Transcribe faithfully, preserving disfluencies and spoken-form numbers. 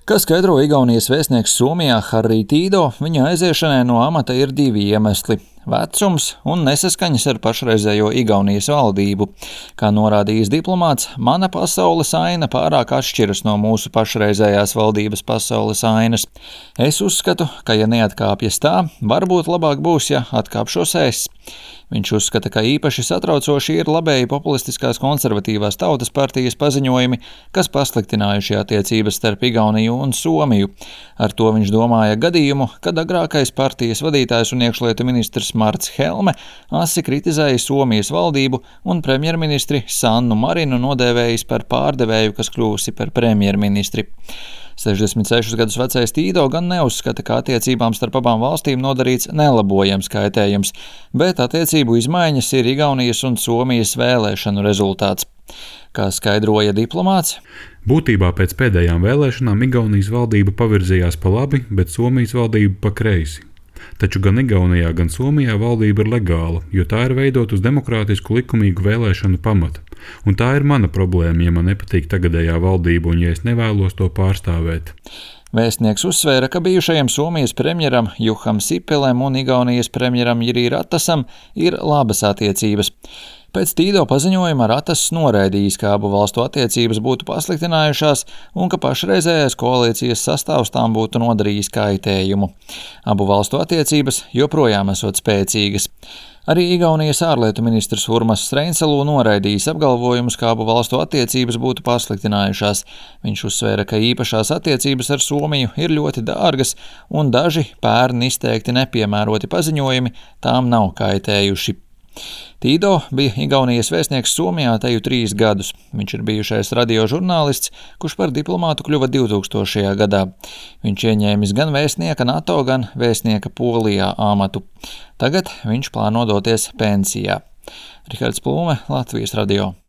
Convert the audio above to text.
Kā skaidro Igaunijas vēstnieks Somijā Harri Tīdo, viņa aiziešanai no amata ir divi iemesli – vecums un nesaskaņas ar pašreizējo Igaunijas valdību. Kā norādījis diplomāts, mana pasaules aina pārāk atšķiras no mūsu pašreizējās valdības pasaules ainas. Es uzskatu, ka ja neatkāpjas tā, varbūt labāk būs, ja atkāpšos es. Viņš uzskata, ka īpaši satraucoši ir labēji populistiskās konservatīvās tautas partijas paziņojumi, kas pasliktinājuši attiecības starp Igauniju un Somiju. Ar to viņš domāja gadījumu, kad agrākais partijas vadītājs un iekšlietu ministrs Marts Helme asi kritizēja Somijas valdību un premjerministri Sannu Marinu nodēvējis par pārdevēju, kas kļūsi par premjerministri. sešdesmit sešus gadus vecais Tīdo gan neuzskata, ka attiecībām starp abām valstīm nodarīts nelabojams kaitējums, bet attiecību izmaiņas ir Igaunijas un Somijas vēlēšanu rezultāts. Kā skaidroja diplomāts, būtībā pēc pēdējām vēlēšanām Igaunijas valdība pavirzījās pa labi, bet Somijas valdība pa kreisi. Taču gan Igaunijā, gan Somijā valdība ir legāla, jo tā ir veidot uz demokrātisku likumīgu vēlēšanu pamata. Un tā ir mana problēma, ja man nepatīk tagadējā valdība un ja es nevēlos to pārstāvēt. Vēstnieks uzsvēra, ka bijušajam Somijas premjeram Juham Sipilem un Igaunijas premjeram Jiri Ratasam ir labas attiecības. Pēc Tīdo paziņojuma Ratas noraidījis, ka abu valstu attiecības būtu pasliktinājušās un ka pašreizējais koalīcijas sastāvs tām būtu nodarījis kaitējumu. Abu valstu attiecības joprojām esot spēcīgas. Arī Igaunijas ārlietu ministrs Urmas Reinsalu noraidījis apgalvojumus, ka abu valstu attiecības būtu pasliktinājušās. Viņš uzsvēra, ka īpašās attiecības ar Somiju ir ļoti dārgas un daži pērn izteikti nepiemēroti paziņojumi tām nav kaitējuši. Tīdo bija Igaunijas vēstnieks Somijā teju trīs gadus. Viņš ir bijušais radiožurnālists, kurš par diplomātu kļuva divtūkstošajā gadā. Viņš ieņēmis gan vēstnieka NATO, gan vēstnieka Polijā amatu. Tagad viņš plāno doties pensijā. Rihards Plūme, Latvijas radio.